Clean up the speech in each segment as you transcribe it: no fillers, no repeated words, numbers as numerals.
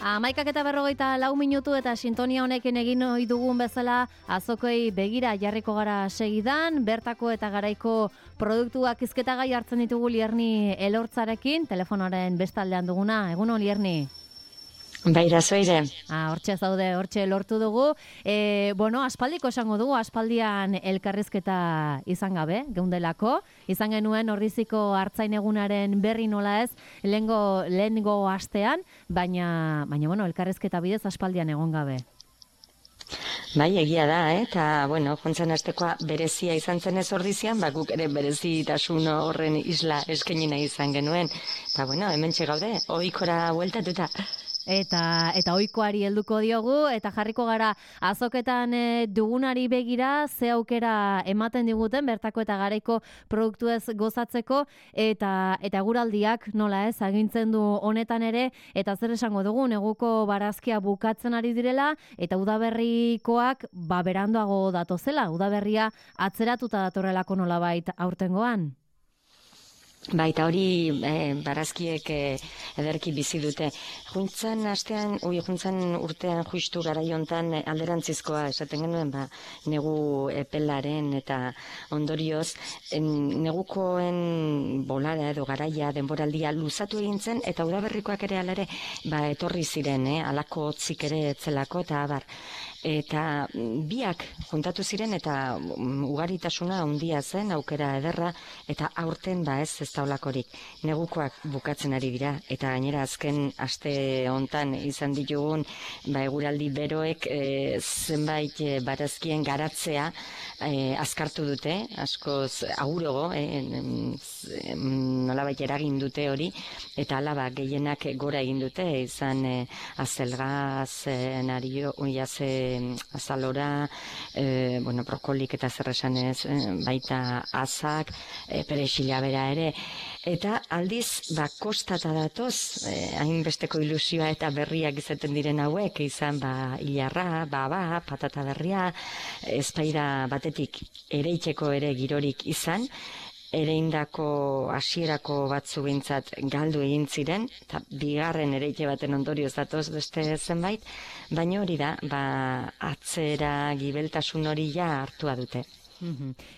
11:44 eta sintonia honekin egin ohi dugun bezala azokei begira jarriko gara segidan, bertako eta garaiko produktuak hizketagai hartzen ditugu Lierni Elortzarekin, telefonoaren bestaldean duguna. Egun on, Lierni. Baira zoire. Hortxe zaude, hortxe lortu dugu. Aspaldiko esango dugu, aspaldian elkarrizketa izan gabe, geundelako. Izan genuen Orriziko Artzain Egunaren berri nola ez, lehengo astean, baina elkarrizketa bidez aspaldian egon gabe. Bai, egia da, eta, jontzen astekoa berezia izan zenez Ordizian, guk ere berezitasun horren isla eskenina izan genuen. Eta, hemen txegaude, ohikora bueltatuta. Eta ohikoari helduko diogu, eta jarriko gara azoketan dugunari begira, ze aukera ematen diguten, bertako eta garaiko produktuez gozatzeko, eta eguraldiak nola ez, agintzen du honetan ere, eta zer esango dugu, neguko barazkia bukatzen ari direla, eta udaberrikoak beranduago datozela, udaberria atzeratuta datorrelako nolabait aurtengoan. Baita hori barazkiek ederki bizi dute. Juntzan urtean justu garaiontan alderantzizkoa esaten genuen, negu epelaren eta ondorioz, negukoen bolara edo garaia denboraldia luzatu egintzen, eta udaberrikoak ere alare, etorri ziren, alako hotzik ere etzelako, eta abar. Eta biak juntatu ziren eta ugaritasuna handia zen, aukera ederra, eta aurten ez da olakorik. Negukoak bukatzen ari dira, eta gainera azken aste hontan izan ditugun eguraldi beroek zenbait barazkien garatzea azkartu dute, askoz agurogo, nolabait eragin dute hori, eta hala gehienak gora egin dute, izan azelgaz, nario, azalora, brokolik eta zerresanez, baita azak, perexila bera ere, eta aldiz, kostata datoz, hainbesteko ilusioa eta berriak izaten diren hauek, izan hilarra, patata berria, ezpaira batetik ereitzeko ere girorik izan, ereindako hasierako batzu behintzat galdu egin ziren, eta bigarren ereite baten ondorioz datoz beste zenbait, baina hori da, atzera gibeltasun hori hartua dute.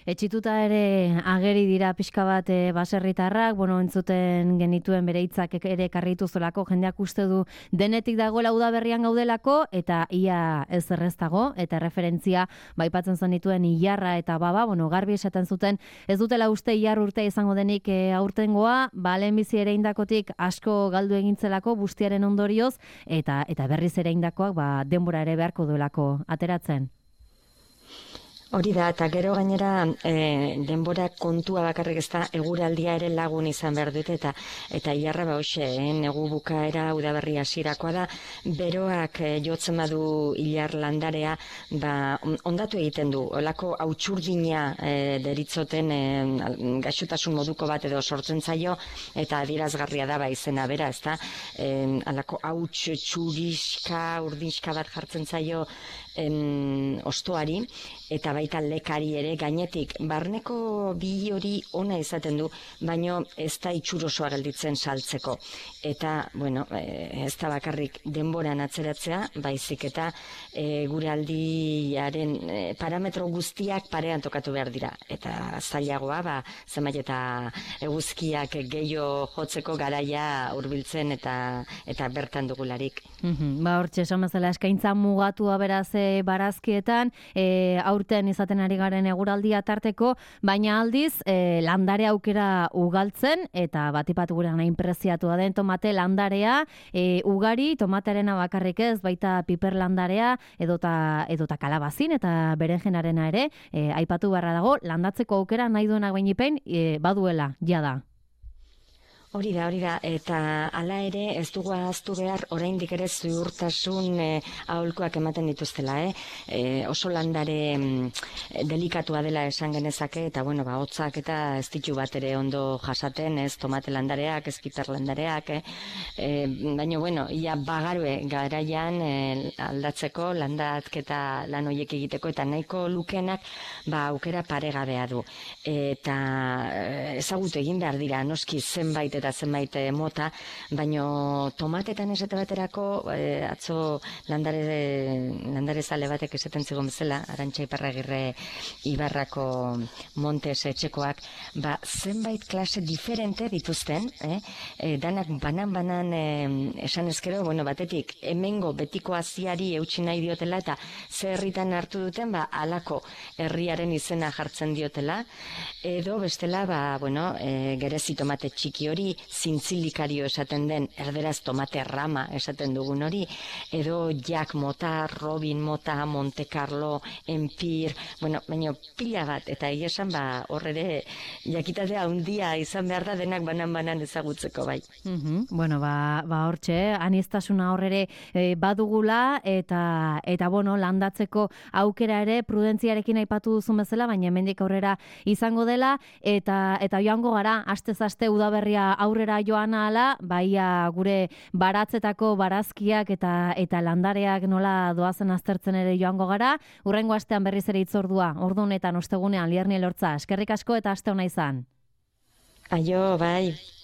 Etxituta ere ageri dira pixka bat baserritarrak, entzuten genituen bere hitzak ere karritu zolako, jendeak uste du denetik dagoela udaberrian gaudelako, eta ia ez erreztago, eta referentzia baipatzen zenituen ilarra eta garbi esaten zuten, ez dutela uste ilar urtea izango denik aurtengoa, lehenbizi ere indakotik asko galdu egintzelako bustiaren ondorioz, eta berriz ere indakoak denbora ere beharko duelako ateratzen. Hori da, eta gero gainera denbora kontua bakarrik ez da eguraldia ere lagun izan behar dute, eta ilarra negu bukaera udaberri hasirakoa da, beroak jotzen badu ilar landarea, ondatu egiten du, olako hautsurdina deritzoten gaixotasun moduko bat edo sortzen zaio, eta adierazgarria da izena bera, ez da, alako hauts txuriska, urdinska bat jartzen zaio ostoari, eta baita lekari ere gainetik. Barneko bi hori ona izaten du, baino ez da itxurosoa gelditzen saltzeko. Eta, ez da bakarrik denboran atzeratzea, baizik eta gure aldiaren parametro guztiak parean tokatu behar dira. Eta zailagoa, zenbait eta eguzkiak gehiago jotzeko garaia hurbiltzen eta bertan dugularik. Hortxe, esan bezala eskaintza mugatua beraz barazkietan, aurten izaten ari garen eguraldia tarteko, baina aldiz landare aukera ugaltzen, eta batipat gure nahi preziatua den tomate landarea, ugari, tomatearena bakarrik ez, baita piper landarea, edota kalabazin, eta berenjenarena ere, aipatu beharra dago, landatzeko aukera nahi duenak bainipen, baduela, jada. Hori da, eta hala ere ez dugu ahaztu behar oraindik ere ziurtasun aholkuak ematen dituztela, oso landare delikatua dela esan genezake, eta hotzak eta ez ditu bat ere ondo jasaten, ez tomate landareak, ez piper landareak, baina, ia bagarue garaian aldatzeko, landatketa lan horiek egiteko, eta nahiko lukenak aukera paregabea du. Eta ezagutu egin behar dira, noski zenbait daudera zenbait mota, baino tomatetan esate baterako, atzo landare zale batek esaten zigon bezala, Arantxa Iparragirre Ibarrako Montes etxekoak, zenbait klase diferente dituzten, danak banan esan ezkero, batetik, hemengo betiko aziari eutsi nahi diotela, eta ze herritan hartu duten, alako herriaren izena jartzen diotela, edo bestela, gerezi tomate txiki hori, zintzilikario esaten den, erderaz tomate rama esaten dugun hori, edo Jack mota, Robin mota, Monte Carlo, Empire, baina pila bat, eta esan hor ere jakitatea handia izan behar da denak banan ezagutzeko bai. Bueno, hortxe, aniztasuna horrere badugula, eta landatzeko aukera ere prudentziarekin aipatu duzun bezala, baina hemendik aurrera izango dela, eta joango gara, astez aste udaberria aurrera joan ahala, baia gure baratzetako barazkiak eta landareak nola doazen aztertzen ere joango gara, hurrengo astean berriz ere hitzordua, ordu honetan ostegunean Lierni Elortza, eskerrik asko eta aste ona izan. Aio, bai.